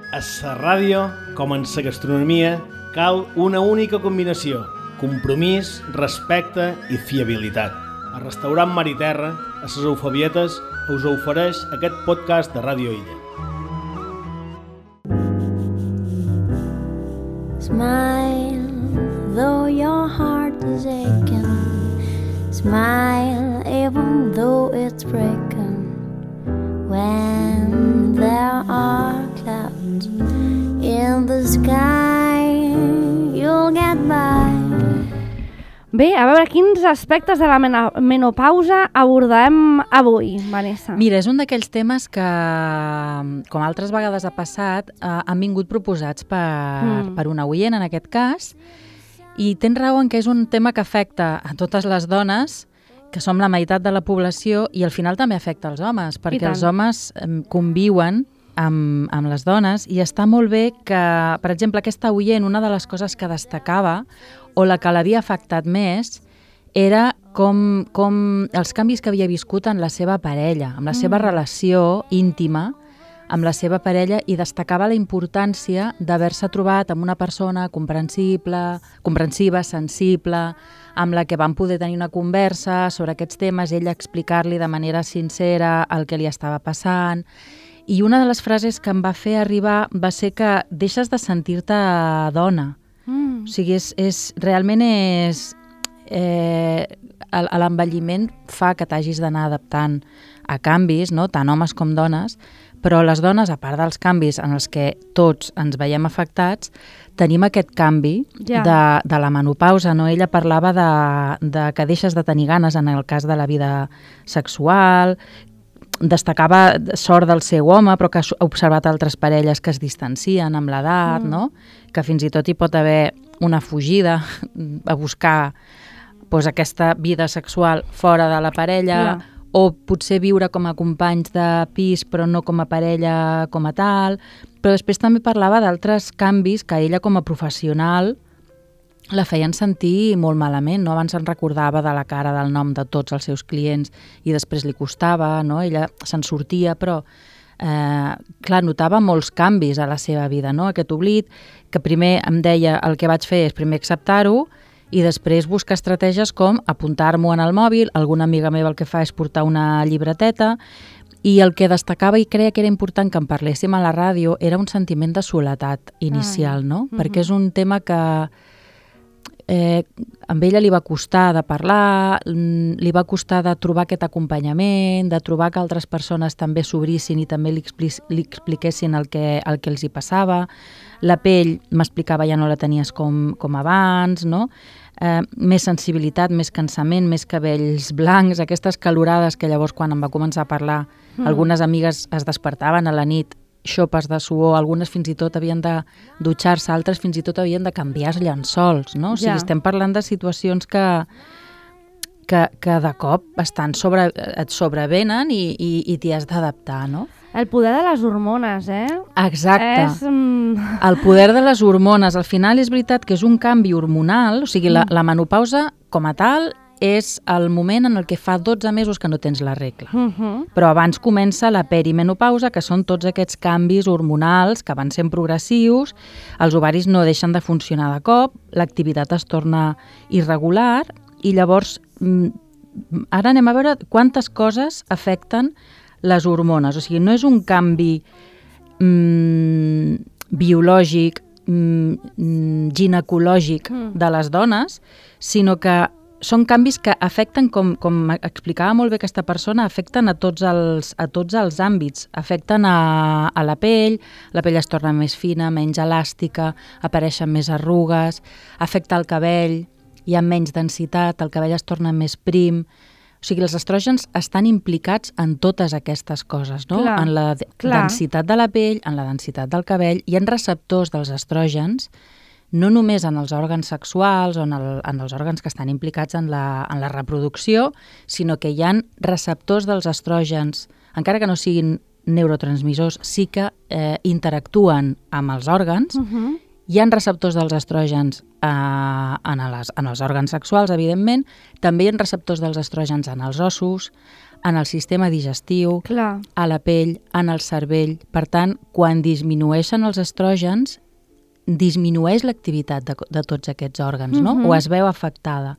A la ràdio, com en la gastronomia, cal una única combinació: compromís, respecte i fiabilitat. El restaurant Mar i Terra, a les Eufebietes, us ofereix aquest podcast de Ràdio Illa. Smile, though your heart is aching. Smile, even though it's breaking. When there are clouds in the sky, you'll get by. Bé, a veure, quins aspectes de la menopausa abordarem avui, Vanessa? Mira, és un d'aquells temes que, com altres vegades ha passat, han vingut proposats per una oient, en aquest cas, i tens raó en que és un tema que afecta a totes les dones, que som la meitat de la població, i al final també afecta els homes, perquè els homes conviuen amb les dones, i està molt bé que, per exemple, aquesta oient, una de les coses que destacava, o la que l'havia afectat més, era com els canvis que havia viscut en la seva parella, amb la seva relació íntima amb la seva parella, i destacava la importància d'haver-se trobat amb una persona comprensiva, sensible, amb la que van poder tenir una conversa sobre aquests temes, ella explicar-li de manera sincera el que li estava passant. I una de les frases que em va fer arribar va ser que deixes de sentir-te dona. O sigui, realment l'envelliment fa que t'hagis d'anar adaptant a canvis, no? Tant homes com dones, però les dones, a part dels canvis en els que tots ens veiem afectats, tenim aquest canvi de la menopausa. No? Ella parlava de que deixes de tenir ganes en el cas de la vida sexual, destacava sort del seu home, però que ha observat altres parelles que es distancien amb l'edat, no? Que fins i tot hi pot haver una fugida a buscar aquesta vida sexual fora de la parella, o potser viure com a companys de pis però no com a parella com a tal. Però després també parlava d'altres canvis que ella com a professional la feien sentir molt malament, no? Abans se'n recordava de la cara, del nom de tots els seus clients i després li costava, no? Ella se'n sortia, però clar, notava molts canvis a la seva vida, no? Aquest oblit, que primer em deia el que vaig fer és primer acceptar-ho i després buscar estratègies com apuntar-m'ho en el mòbil. Alguna amiga meva el que fa és portar una llibreteta, i el que destacava i creia que era important que en parléssim a la ràdio era un sentiment de soledat inicial, no? Perquè és un tema que amb ella li va costar de parlar, li va costar de trobar aquest acompanyament, de trobar que altres persones també s'obrissin i també li expliquessin el que els hi passava. La pell, m'explicava, ja no la tenies com abans, no? Més sensibilitat, més cansament, més cabells blancs, aquestes calorades que llavors quan em va començar a parlar, algunes amigues es despertaven a la nit, xopes de suor, algunes fins i tot havien de dutxar-se, altres fins i tot havien de canviar els llençols, no? O sigui, estem parlant de situacions que de cop et sobrevenen i t'hi has d'adaptar, no? El poder de les hormones, Exacte. El poder de les hormones. Al final és veritat que és un canvi hormonal, o sigui, la menopausa com a tal és el moment en el que fa 12 mesos que no tens la regla. Però abans comença la perimenopausa, que són tots aquests canvis hormonals que van sent progressius, els ovaris no deixen de funcionar de cop, l'activitat es torna irregular, i llavors ara anem a veure quantes coses afecten les hormones. O sigui, no és un canvi biològic, ginecològic de les dones, sinó que són canvis que afecten, com explicava molt bé aquesta persona, afecten a tots els àmbits. Afecten a la pell es torna més fina, menys elàstica, apareixen més arrugues, afecta el cabell, hi ha menys densitat, el cabell es torna més prim. O sigui, els estrògens estan implicats en totes aquestes coses, no? En la densitat de la pell, en la densitat del cabell, hi ha receptors dels estrògens, no només en els òrgans sexuals o en els òrgans que estan implicats en la reproducció, sinó que hi ha receptors dels estrògens, encara que no siguin neurotransmissors, sí que interactuen amb els òrgans. Hi ha receptors dels estrògens en els òrgans sexuals, evidentment, també hi ha receptors dels estrògens en els ossos, en el sistema digestiu, Clar. a la pell, en el cervell. Per tant, quan disminueixen els estrògens, disminueix l'activitat de tots aquests òrgans, no? O es veu afectada.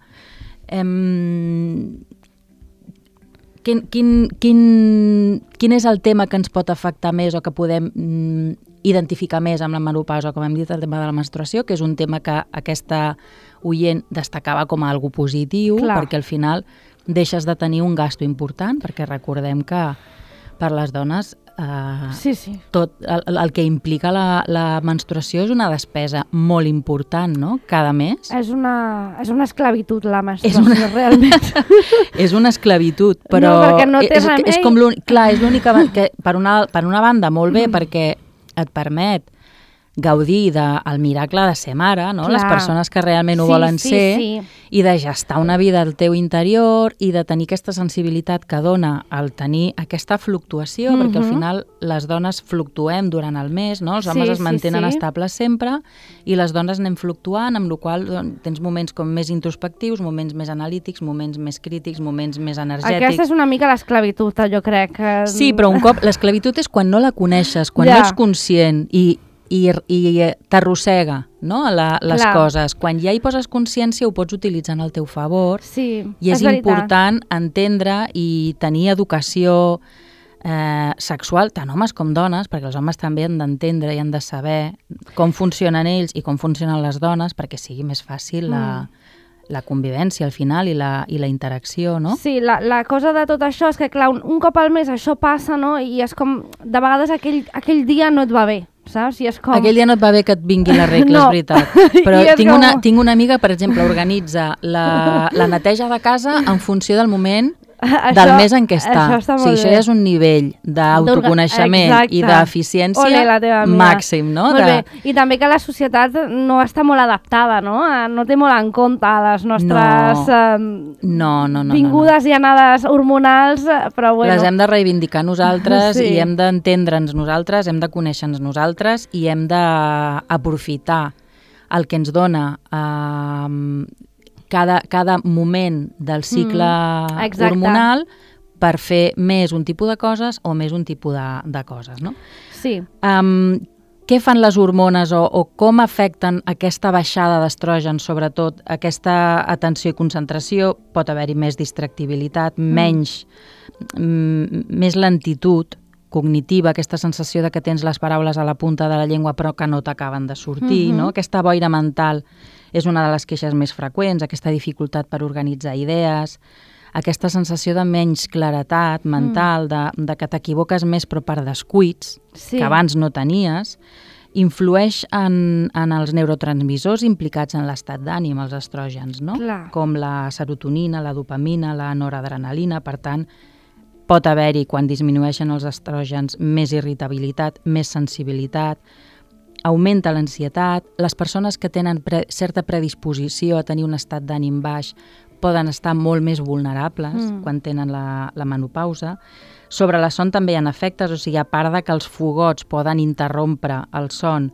Quin és el tema que ens pot afectar més o que podem identificar més amb la menopausa, com hem dit, el tema de la menstruació, que és un tema que aquesta oient destacava com a algo positiu, perquè al final deixes de tenir un gasto important, perquè recordem que per les dones tot el que implica la menstruació és una despesa molt important, no?, cada mes. És una esclavitud, la menstruació, realment. És una esclavitud, però no, perquè no té remei. És com clar, és l'única que per una banda molt bé, perquè et permet gaudir del miracle de ser mare, no? Les persones que realment ho volen ser, i de gestar una vida al teu interior i de tenir aquesta sensibilitat que dona el tenir aquesta fluctuació, perquè al final les dones fluctuem durant el mes, no? Els homes es mantenen estables sempre i les dones anem fluctuant, amb la qual cosa tens moments com més introspectius, moments més analítics, moments més crítics, moments més energètics. Aquesta és una mica l'esclavitud, jo crec. Sí, però un cop l'esclavitud és quan no la coneixes, quan no ets conscient i t'arrossega, no?, les coses. Quan ja hi poses consciència ho pots utilitzar en el teu favor, i és important entendre i tenir educació sexual, tant homes com dones, perquè els homes també han d'entendre i han de saber com funcionen ells i com funcionen les dones perquè sigui més fàcil la convivència al final i la interacció, no? Sí, la cosa de tot això és que, clar, un cop al mes això passa, no?, i és com, de vegades aquell dia no et va bé, saps? I és com... Aquell dia no et va bé que et vingui la regla, no. És veritat. Però tinc una amiga, per exemple, organitza la neteja de casa en funció del moment del mes en què està. Això ja és un nivell d'autoconeixement i d'eficiència màxim, no? Molt bé. I també que la societat no està molt adaptada, no? No té molt en compte les nostres vingudes i anades hormonals, però bueno. Les hem de reivindicar nosaltres i hem d'entendre'ns nosaltres, hem de conèixer-nos nosaltres i hem d'aprofitar el que ens dona cada moment del cicle hormonal per fer més un tipus de coses o més un tipus de coses, no? Sí. Què fan les hormones o com afecten aquesta baixada d'estrògens, sobretot aquesta atenció i concentració? Pot haver-hi més distractibilitat, més lentitud cognitiva, aquesta sensació de que tens les paraules a la punta de la llengua però que no t'acaben de sortir, no? Aquesta boira mental és una de les queixes més freqüents, aquesta dificultat per organitzar idees, aquesta sensació de menys claretat mental, de que t'equivoques més però per descuits, que abans no tenies, influeix en els neurotransmissors implicats en l'estat d'ànim, els estrògens, no? Com la serotonina, la dopamina, la noradrenalina. Per tant, pot haver-hi, quan disminueixen els estrògens, més irritabilitat, més sensibilitat, augmenta l'ansietat. Les persones que tenen certa predisposició a tenir un estat d'ànim baix poden estar molt més vulnerables quan tenen la menopausa. Sobre la son també hi ha efectes, o sigui, a part de que els fogots poden interrompre el son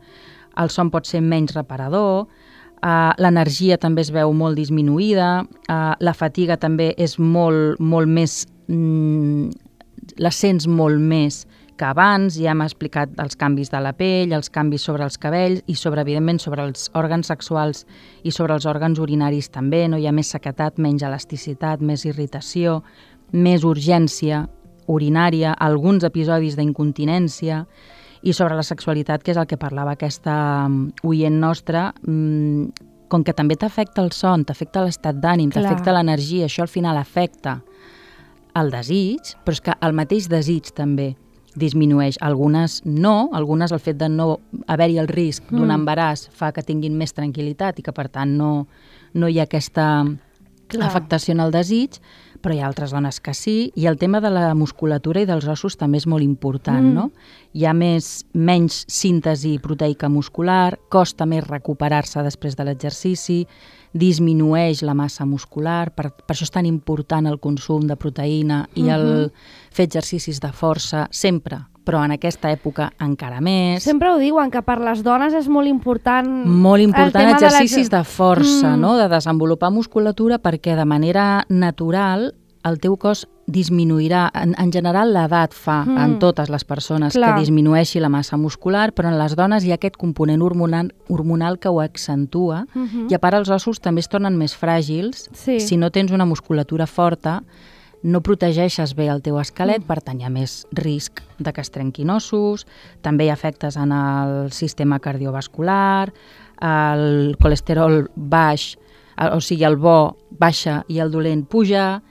pot ser menys reparador, l'energia també es veu molt disminuïda, la fatiga també és molt més... la sents molt més que abans. Ja hem explicat els canvis de la pell, els canvis sobre els cabells i evidentment sobre els òrgans sexuals i sobre els òrgans urinaris també, no? Hi ha més sequetat, menys elasticitat, més irritació, més urgència urinària, alguns episodis d'incontinència. I sobre la sexualitat, que és el que parlava aquesta oient nostra, com que també t'afecta el son, t'afecta l'estat d'ànim, t'afecta l'energia, això al final afecta el desig, però és que el mateix desig també disminueix. Algunes no, algunes el fet de no haver-hi el risc d'un embaràs fa que tinguin més tranquil·litat i que per tant no hi ha aquesta afectació en el desig, però hi ha altres dones que sí, i el tema de la musculatura i dels ossos també és molt important, no? Hi ha menys síntesi proteica muscular, costa més recuperar-se després de l'exercici, disminueix la massa muscular, per això és tan important el consum de proteïna i el fer exercicis de força sempre, però en aquesta època encara més. Sempre ho diuen, que per les dones és molt important... Molt important exercicis de força, no? De desenvolupar musculatura, perquè de manera natural el teu cos disminuirà, en general l'edat fa en totes les persones que disminueixi la massa muscular, però en les dones hi ha aquest component hormonal que ho accentua i a part els ossos també es tornen més fràgils. Si no tens una musculatura forta, no protegeixes bé el teu esquelet, per tant hi ha més risc de que es trenquin ossos, també hi ha efectes en el sistema cardiovascular, el colesterol baix, o sigui el bo baixa i el dolent puja,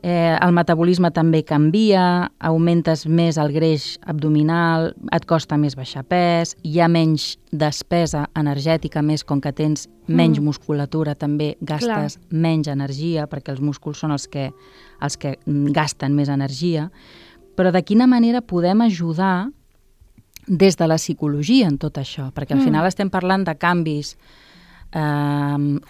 el metabolisme també canvia, augmentes més el greix abdominal, et costa més baixar pes, hi ha menys despesa energètica, més com que tens menys musculatura, també gastes menys energia, perquè els músculs són els que gasten més energia. Però de quina manera podem ajudar des de la psicologia en tot això? Perquè al final estem parlant de canvis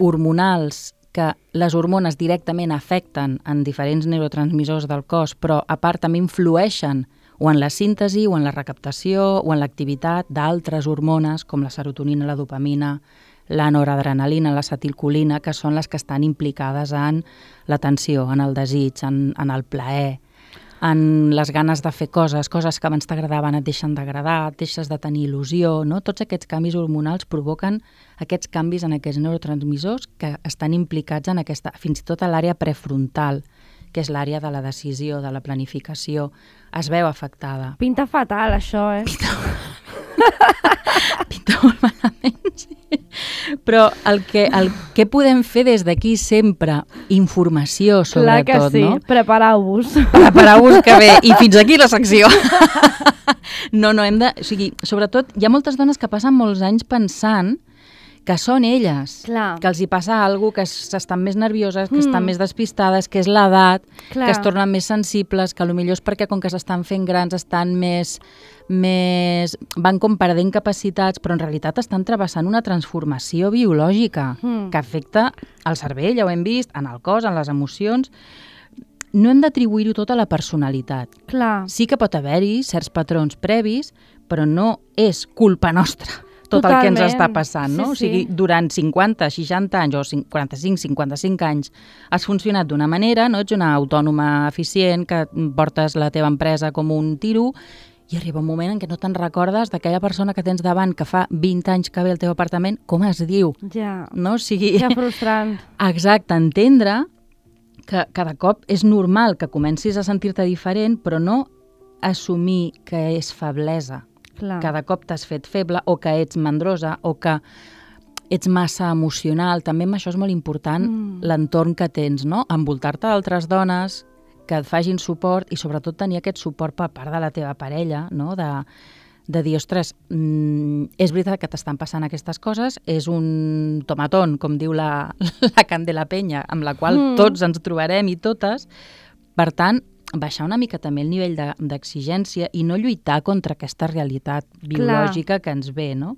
hormonals que les hormones directament afecten en diferents neurotransmissors del cos, però a part també influeixen o en la síntesi, o en la recaptació, o en l'activitat d'altres hormones, com la serotonina, la dopamina, la noradrenalina, l'acetilcolina, que són les que estan implicades en l'atenció, en el desig, en el plaer, en les ganes de fer coses que abans t'agradaven et deixen d'agradar, et deixes de tenir il·lusió, no? Tots aquests canvis hormonals provoquen aquests canvis en aquests neurotransmissors que estan implicats en aquesta, fins i tot a l'àrea prefrontal, que és l'àrea de la decisió, de la planificació, es veu afectada. Pinta fatal, això, Pinta molt malament, sí. Però el que podem fer des d'aquí sempre, informació sobretot, clar que sí, no? Prepareu-vos. Prepareu-vos que bé, i fins aquí la secció. No, hem de... O sigui, sobretot, hi ha moltes dones que passen molts anys pensant que són elles, que els hi passa alguna cosa, que estan més nervioses, que estan més despistades, que és l'edat, que es tornen més sensibles, que potser és perquè com que s'estan fent grans estan més van com perdent capacitats, però en realitat estan travessant una transformació biològica que afecta el cervell, ja ho hem vist, en el cos, en les emocions. No hem d'atribuir-ho tot a la personalitat. Sí que pot haver-hi certs patrons previs, però no és culpa nostra tot el que ens està passant, no? O sigui, durant 50, 60 anys o 45, 55 anys has funcionat d'una manera, no? Ets una autònoma eficient, que portes la teva empresa com un tiro, i arriba un moment en què no te'n recordes d'aquella persona que tens davant que fa 20 anys que ve al teu apartament, com es diu? No? O sigui... Ja frustrant. Exacte, entendre que cada cop és normal que comencis a sentir-te diferent, però no assumir que és feblesa. Cada cop t'has fet feble o que ets mandrosa o que ets massa emocional. També amb això és molt important l'entorn que tens, no? Envoltar-te d'altres dones que et facin suport i sobretot tenir aquest suport per part de la teva parella, no? De dir, ostres, és veritat que t'estan passant aquestes coses, és un tomatón, com diu la Candela Peña, amb la qual tots ens trobarem i totes. Per tant, baixar una mica també el nivell d'exigència i no lluitar contra aquesta realitat biològica que ens ve, no?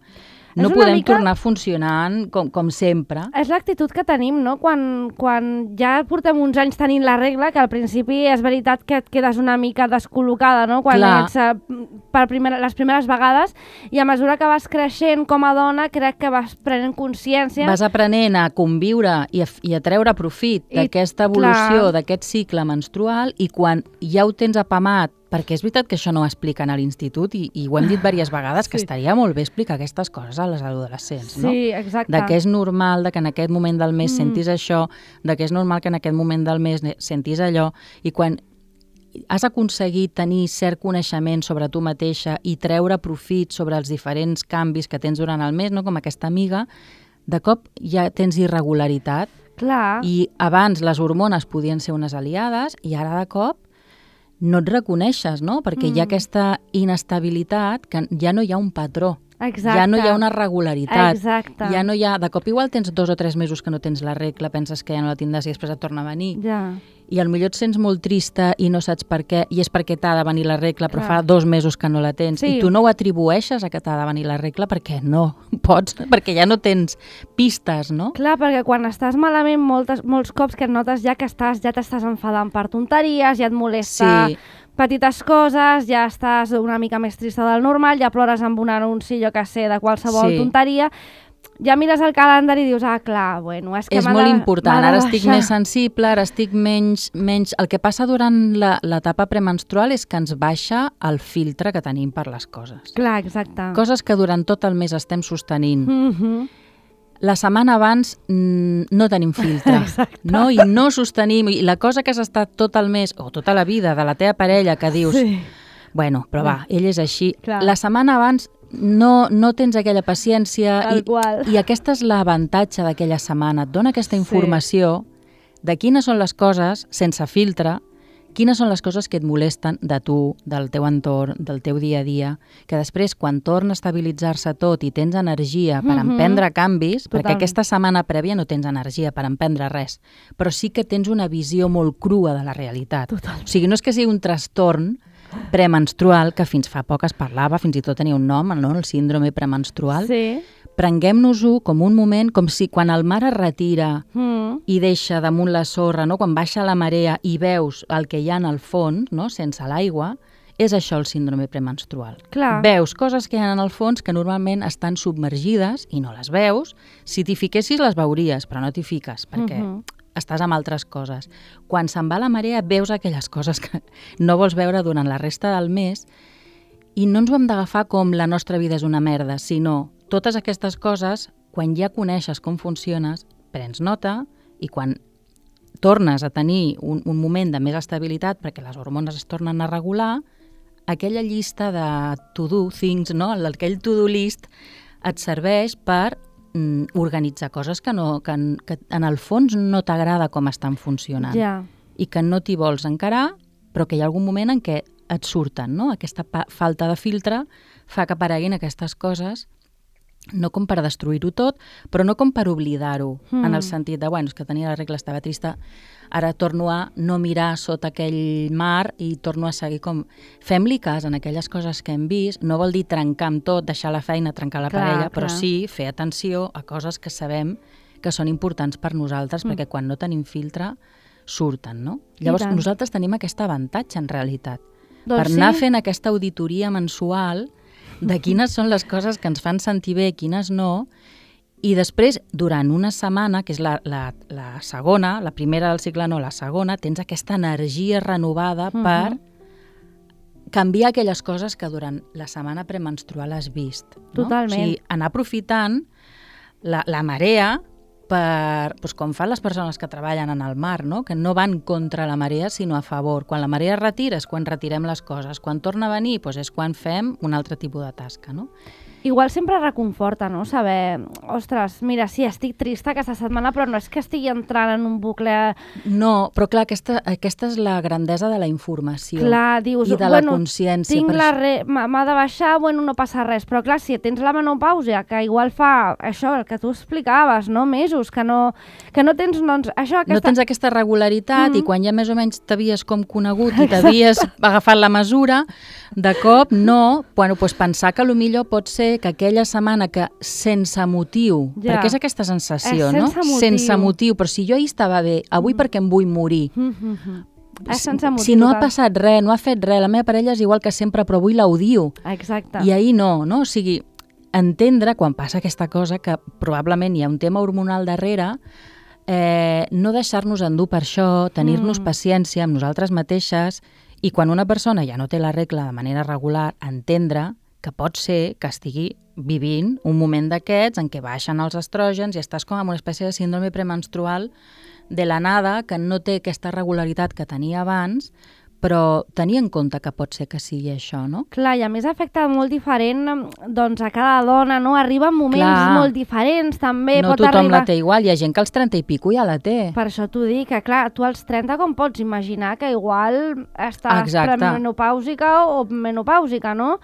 No podem tornar funcionant com sempre. És l'actitud que tenim, no? Quan ja portem uns anys tenint la regla, que al principi és veritat que et quedes una mica descol·locada, no? Quan ets les primeres vegades, i a mesura que vas creixent com a dona, crec que vas prenent consciència. Vas aprenent a conviure i a treure profit d'aquesta evolució, d'aquest cicle menstrual, i quan ja ho tens apamat, perquè és veritat que això no ho expliquen a l'institut i ho hem dit diverses vegades, que estaria molt bé explicar aquestes coses a les adolescents, no? Sí, exacte. De que és normal que en aquest moment del mes sentis això, de que és normal que en aquest moment del mes sentis allò, i quan has aconseguit tenir cert coneixement sobre tu mateixa i treure profit sobre els diferents canvis que tens durant el mes, no? Com aquesta amiga, de cop ja tens irregularitat. I abans les hormones podien ser unes aliades i ara de cop no et reconeixes, no? Perquè hi ha aquesta inestabilitat que ja no hi ha un patró. Ja no hi ha una regularitat. Ja no hi ha... De cop igual tens 2 o 3 mesos que no tens la regla, penses que ja no la tindràs i després et torna a venir. I potser et sents molt trista i no saps per què, i és perquè t'ha de venir la regla, però fa 2 mesos que no la tens. I tu no ho atribueixes a que t'ha de venir la regla perquè no pots, perquè ja no tens pistes, no? Clar, perquè quan estàs malament molts cops que et notes ja que ja t'estàs enfadant per tonteries, ja et molesta petites coses, ja estàs una mica més trista del normal, ja plores amb un anunci, jo que sé, de qualsevol tonteria. ja mires el calendari i dius, clar, bueno, és que és molt important, ara estic més sensible, ara estic menys... El que passa durant l'etapa premenstrual és que ens baixa el filtre que tenim per les coses. Clar, exacte. Coses que durant tot el mes estem sostenint. La setmana abans no tenim filtre, no? I no sostenim, i la cosa que has estat tot el mes, o tota la vida, de la teva parella, que dius, bueno, però va, ell és així. Clar. La setmana abans no tens aquella paciència i aquest és l'avantatge d'aquella setmana. Et dona aquesta informació de quines són les coses, sense filtre, quines són les coses que et molesten de tu, del teu entorn, del teu dia a dia, que després, quan torna a estabilitzar-se tot i tens energia per emprendre canvis, perquè aquesta setmana prèvia no tens energia per emprendre res, però sí que tens una visió molt crua de la realitat. O sigui, no és que sigui un trastorn premenstrual, que fins fa poc es parlava, fins i tot tenia un nom, no? El síndrome premenstrual. Sí. Prenguem-nos-ho com un moment, com si quan el mar es retira i deixa damunt la sorra, no? Quan baixa la marea i veus el que hi ha en el fons, no? Sense l'aigua, és això el síndrome premenstrual. Clar. Veus coses que hi ha en el fons que normalment estan submergides i no les veus. Si t'hi fiquessis les veuries, però no t'hi fiques, perquè estàs amb altres coses. Quan se'n va la marea veus aquelles coses que no vols veure durant la resta del mes i no ens ho hem d'agafar com la nostra vida és una merda, sinó totes aquestes coses, quan ja coneixes com funciones, prens nota i quan tornes a tenir un moment de més estabilitat perquè les hormones es tornen a regular, aquella llista de to-do things, no? Aquell to-do list et serveix per organitzar coses que en el fons no t'agrada com estan funcionant i que no t'hi vols encarar, però que hi ha algun moment en què et surten, no? Aquesta falta de filtre fa que apareguin aquestes coses, no com per destruir-ho tot, però no com per oblidar-ho, en el sentit de, bueno, és que tenia la regla, estava trista, ara torno a no mirar sota aquell mar i torno a seguir com... Fem-li cas en aquelles coses que hem vist, no vol dir trencar amb tot, deixar la feina, trencar la parella, però sí fer atenció a coses que sabem que són importants per nosaltres, perquè quan no tenim filtre surten, no? Llavors nosaltres tenim aquest avantatge en realitat, per anar fent aquesta auditoria mensual de quines són les coses que ens fan sentir bé, quines no, i després, durant una setmana, que és la segona, la primera del cicle no, la segona, tens aquesta energia renovada per canviar aquelles coses que durant la setmana premenstrual has vist. No? Totalment. O sigui, anar aprofitant la marea doncs com fan les persones que treballen en el mar, no? Que no van contra la marea sinó a favor. Quan la marea es retira és quan retirem les coses. Quan torna a venir doncs és quan fem un altre tipus de tasca, no? Igual sempre reconforta, no? Saber, ostres, mira, sí, estic trista aquesta setmana, però no és que estigui entrant en un bucle... No, però clar, aquesta és la grandesa de la informació. Clar, dius, i de la consciència. M'ha de baixar, bueno, no passa res, però clar, si tens la menopàusia, que igual fa això, el que tu explicaves, no? Mesos, que no tens, doncs, això... No tens aquesta regularitat i quan ja més o menys t'havies com conegut i t'havies agafat la mesura, de cop, no, bueno, doncs pensar que potser pot ser que aquella setmana que sense motiu, perquè és aquesta sensació, no? Sense motiu, però si jo ahir estava bé, avui perquè em vull morir. Si no ha passat res, no ha fet res, la meva parella és igual que sempre, però avui l'odio. Exacte. I ahir no? O sigui, entendre quan passa aquesta cosa que probablement hi ha un tema hormonal darrere, no deixar-nos endur per això, tenir-nos paciència amb nosaltres mateixes i quan una persona ja no té la regla de manera regular, entendre que pot ser que estigui vivint un moment d'aquests en què baixen els estrògens i estàs com amb una espècie de síndrome premenstrual de la nada, que no té aquesta regularitat que tenia abans, però tenir en compte que pot ser que sigui això, no? Clar, i a més afecta molt diferent doncs, a cada dona, no? Arriba en moments molt diferents, també. No tothom la té igual, hi ha gent que als 30 i pico ja la té. Per això t'ho dic, que clar, tu als 30 com pots imaginar que igual estàs premenopàusica o menopàusica, no?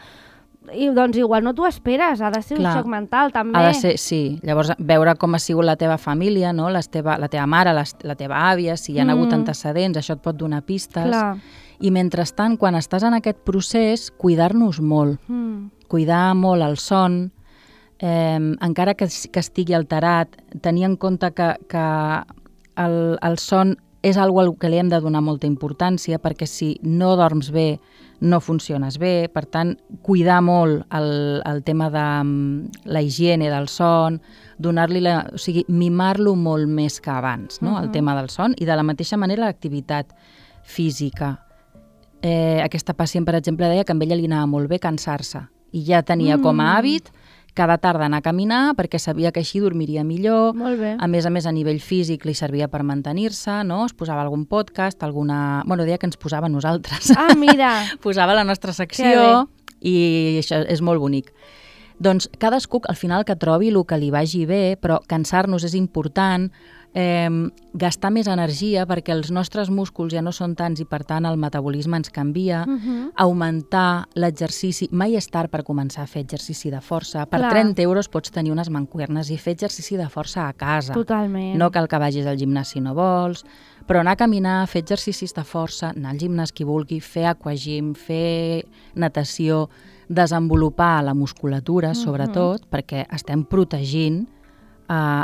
I doncs igual no t'ho esperes, ha de ser un xoc mental també. Ha de ser, sí. Llavors veure com ha sigut la teva família, no? La teva mare, la teva àvia, si hi ha hagut antecedents, això et pot donar pistes. Clar. I mentrestant, quan estàs en aquest procés, cuidar-nos molt. Cuidar molt el son, encara que estigui alterat, tenir en compte que el son és algo al que li hem de donar molta importància, perquè si no dorms bé, no funciones bé. Per tant, cuidar molt el tema de la higiene del son, o sigui, mimar-lo molt més que abans, no? El tema del son, i de la mateixa manera l'activitat física. Aquesta pacient, per exemple, deia que amb ella li anava molt bé cansar-se i ja tenia com a hàbit cada tarda anar a caminar perquè sabia que així dormiria millor. Molt bé. A més, a nivell físic li servia per mantenir-se, no? Es posava algun podcast, deia que ens posava nosaltres. Ah, mira! Posava la nostra secció i això és molt bonic. Doncs cadascú, al final, que trobi el que li vagi bé, però cansar-nos és important, gastar més energia perquè els nostres músculs ja no són tants i per tant el metabolisme ens canvia, augmentar l'exercici, mai és tard per començar a fer exercici de força. Per 30 euros pots tenir unes mancuernes i fer exercici de força a casa. Totalment. No cal que vagis al gimnàs si no vols, però anar a caminar, fer exercicis de força, anar al gimnàs qui vulgui, fer aquagym, fer natació, desenvolupar la musculatura, sobretot, perquè estem protegint,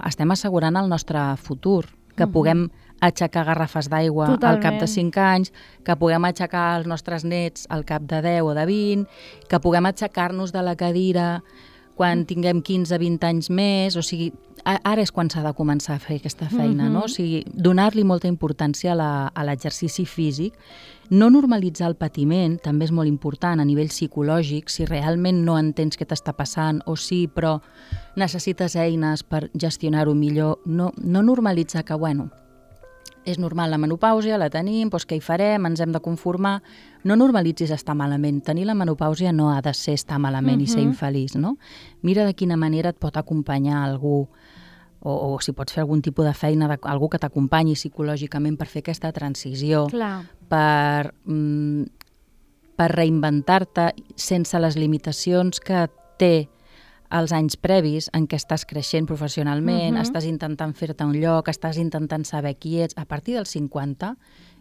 estem assegurant el nostre futur, que puguem aixecar garrafes d'aigua al cap de 5 anys, que puguem aixecar els nostres nets al cap de 10 o de 20, que puguem aixecar-nos de la cadira quan tinguem 15-20 anys més, o sigui, ara és quan s'ha de començar a fer aquesta feina, no? O sigui, donar-li molta importància a l'exercici físic, no normalitzar el patiment, també és molt important a nivell psicològic, si realment no entens què t'està passant, o sí, però necessites eines per gestionar-ho millor, no normalitzar que, bueno, és normal la menopàusia, la tenim, doncs què hi farem, ens hem de conformar. No normalitzis estar malament. Tenir la menopàusia no ha de ser estar malament i ser infeliç, no? Mira de quina manera et pot acompanyar algú, o si pots fer algun tipus de feina, algú que t'acompanyi psicològicament per fer aquesta transició, per reinventar-te sense les limitacions que té els anys previs en què estàs creixent professionalment, estàs intentant fer-te un lloc, estàs intentant saber qui ets. A partir dels 50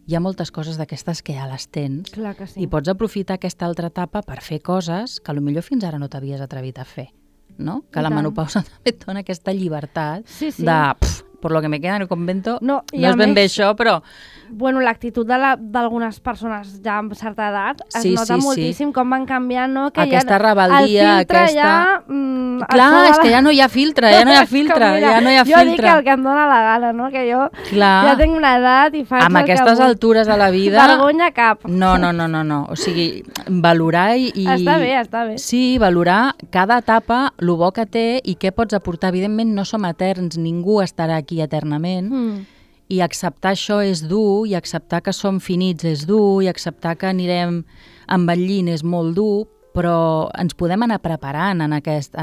hi ha moltes coses d'aquestes que ja les tens. Clar que sí. I pots aprofitar aquesta altra etapa per fer coses que potser fins ara no t'havies atrevit a fer. No? Que la menopausa també et dona aquesta llibertat de... por lo que me queda en el convento, no és ben bé això, però... Bueno, l'actitud d'algunes persones ja amb certa edat es nota moltíssim com van canviant, no? Que aquesta ja, rebel·lia, el filtre aquesta... ja... Clar, és que ja no hi ha filtre, ja no hi ha filtre, ja no hi ha filtre. Jo dic el que em dona la gana, no? Que jo ja tinc una edat i faig amb aquestes altures de la vida... Vergonya cap. No. O sigui, valorar i... Està bé. Sí, valorar cada etapa, el bo que té i què pots aportar. Evidentment no som eterns, ningú estarà aquí eternament, i acceptar això és dur, i acceptar que som finits és dur, i acceptar que anirem envellint és molt dur, però ens podem anar preparant en aquest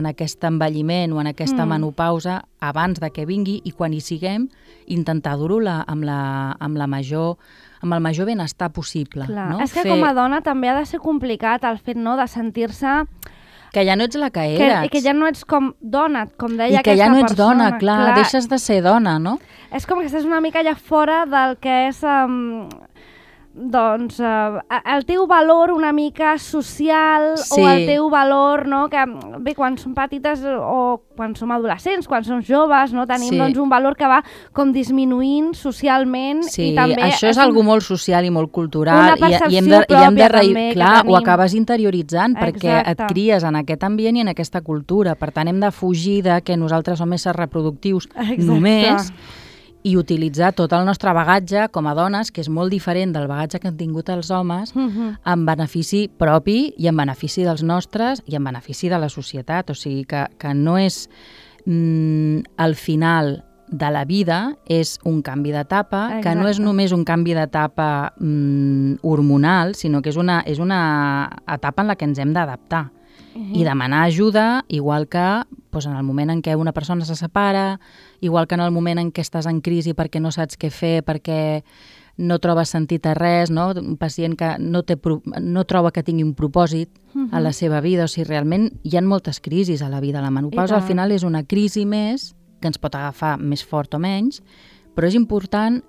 envelliment o en aquesta menopausa abans de que vingui, i quan hi siguem intentar dur-ho amb el major benestar possible. Clar. No? És que com a dona també ha de ser complicat el fet, no?, de sentir-se... Que ja no ets la que eres. Que ja no ets com dona, com deia aquesta persona. I que ja no ets dona, clar, deixes de ser dona, no? És com que estàs una mica ja fora del que és... doncs el teu valor una mica social, o el teu valor, no? Que bé, quan som petites o quan som adolescents, quan som joves, no? Tenim doncs un valor que va com disminuint socialment, i també... Sí, això és algo molt social i molt cultural, i hem de també, clar, ho acabes interioritzant perquè et cries en aquest ambient i en aquesta cultura, per tant hem de fugir de que nosaltres som éssers reproductius només, i utilitzar tot el nostre bagatge com a dones, que és molt diferent del bagatge que han tingut els homes, en benefici propi i en benefici dels nostres i en benefici de la societat. O sigui que no és el final de la vida, és un canvi d'etapa, que no és només un canvi d'etapa hormonal, sinó que és una etapa en la que ens hem d'adaptar. I demanar ajuda, igual que en el moment en què una persona se separa, igual que en el moment en què estàs en crisi perquè no saps què fer, perquè no trobes sentit a res, no? Un pacient que no troba que tingui un propòsit a la seva vida. O sigui, realment hi ha moltes crisis a la vida. La menopausa al final és una crisi més que ens pot agafar més fort o menys, però és important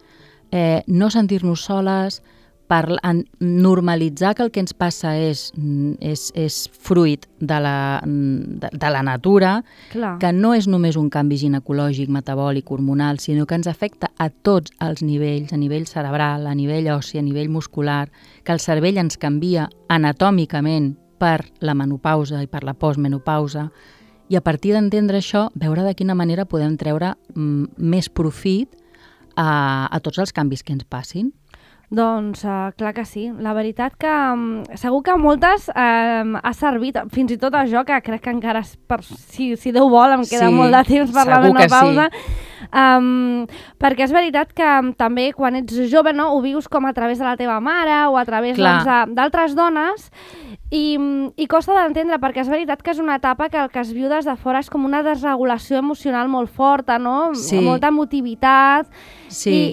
no sentir-nos soles, normalitzar que el que ens passa és fruit de la natura, Clar. que no és només un canvi ginecològic, metabòlic, hormonal, sinó que ens afecta a tots els nivells, a nivell cerebral, a nivell ossi, a nivell muscular, que el cervell ens canvia anatòmicament per la menopausa i per la postmenopausa, i a partir d'entendre això, veure de quina manera podem treure més profit a tots els canvis que ens passin. Doncs clar que sí. La veritat que segur que a moltes ha servit, fins i tot a jo, que crec que encara, si Déu vol, em queda molt de temps per la menopausa. Perquè és veritat que també quan ets jove, no, ho vius com a través de la teva mare o a través d'altres dones i costa d'entendre, perquè és veritat que és una etapa que el que es viu des de fora és com una desregulació emocional molt forta, no? Sí. Molta emotivitat. Sí.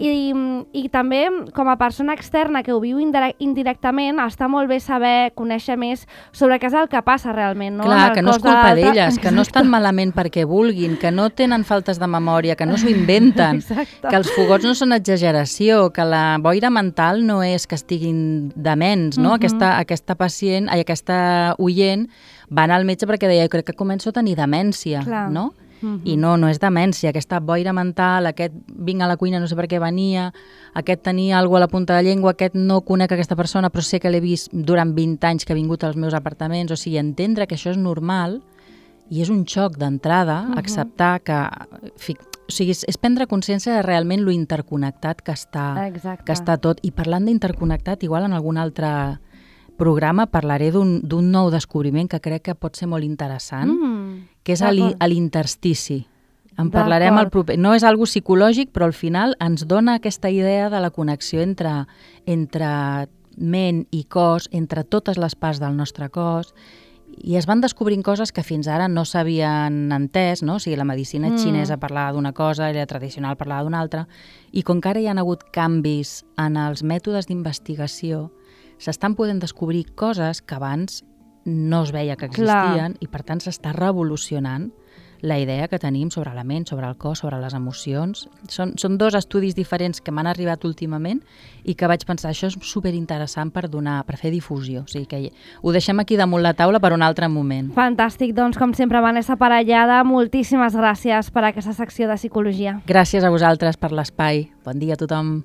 I també com a persona externa que ho viu indirectament està molt bé saber, conèixer més sobre què és el que passa realment, no? Clar, que no és culpa d'elles, que no estan malament perquè vulguin, que no tenen faltes de memòria, que no s'ho inventen, que els fogots no són exageració, que la boira mental no és que estiguin dements, no? Aquesta pacient, aquesta oient va anar al metge perquè deia, crec que començo a tenir demència, no? I no és demència, aquesta boira mental, aquest vinc a la cuina, no sé per què venia, aquest tenia alguna cosa a la punta de la llengua, aquest no conec aquesta persona però sé que l'he vist durant 20 anys que ha vingut als meus apartaments, o sigui, entendre que això és normal i és un xoc d'entrada, acceptar que... O sigui, és prendre consciència de realment lo interconnectat que està tot. I parlant d'interconnectat, igual en algun altre programa parlaré d'un nou descobriment que crec que pot ser molt interessant, que és l'interstici. En parlarem al proper. No és algo psicològic, però al final ens dona aquesta idea de la connexió entre ment i cos, entre totes les parts del nostre cos, i es van descobrint coses que fins ara no s'havien entès, no? O sigui, la medicina xinesa parlava d'una cosa i la tradicional parlava d'una altra, i com que ara hi ha hagut canvis en els mètodes d'investigació, s'estan podent descobrir coses que abans no es veia que existien i per tant s'està revolucionant la idea que tenim sobre la ment, sobre el cos, sobre les emocions. Són dos estudis diferents que m'han arribat últimament i que vaig pensar, això és superinteressant per fer difusió. O sigui que ho deixem aquí damunt la taula per un altre moment. Fantàstic, doncs com sempre Vanessa Parellada, moltíssimes gràcies per aquesta secció de psicologia. Gràcies a vosaltres per l'espai. Bon dia a tothom.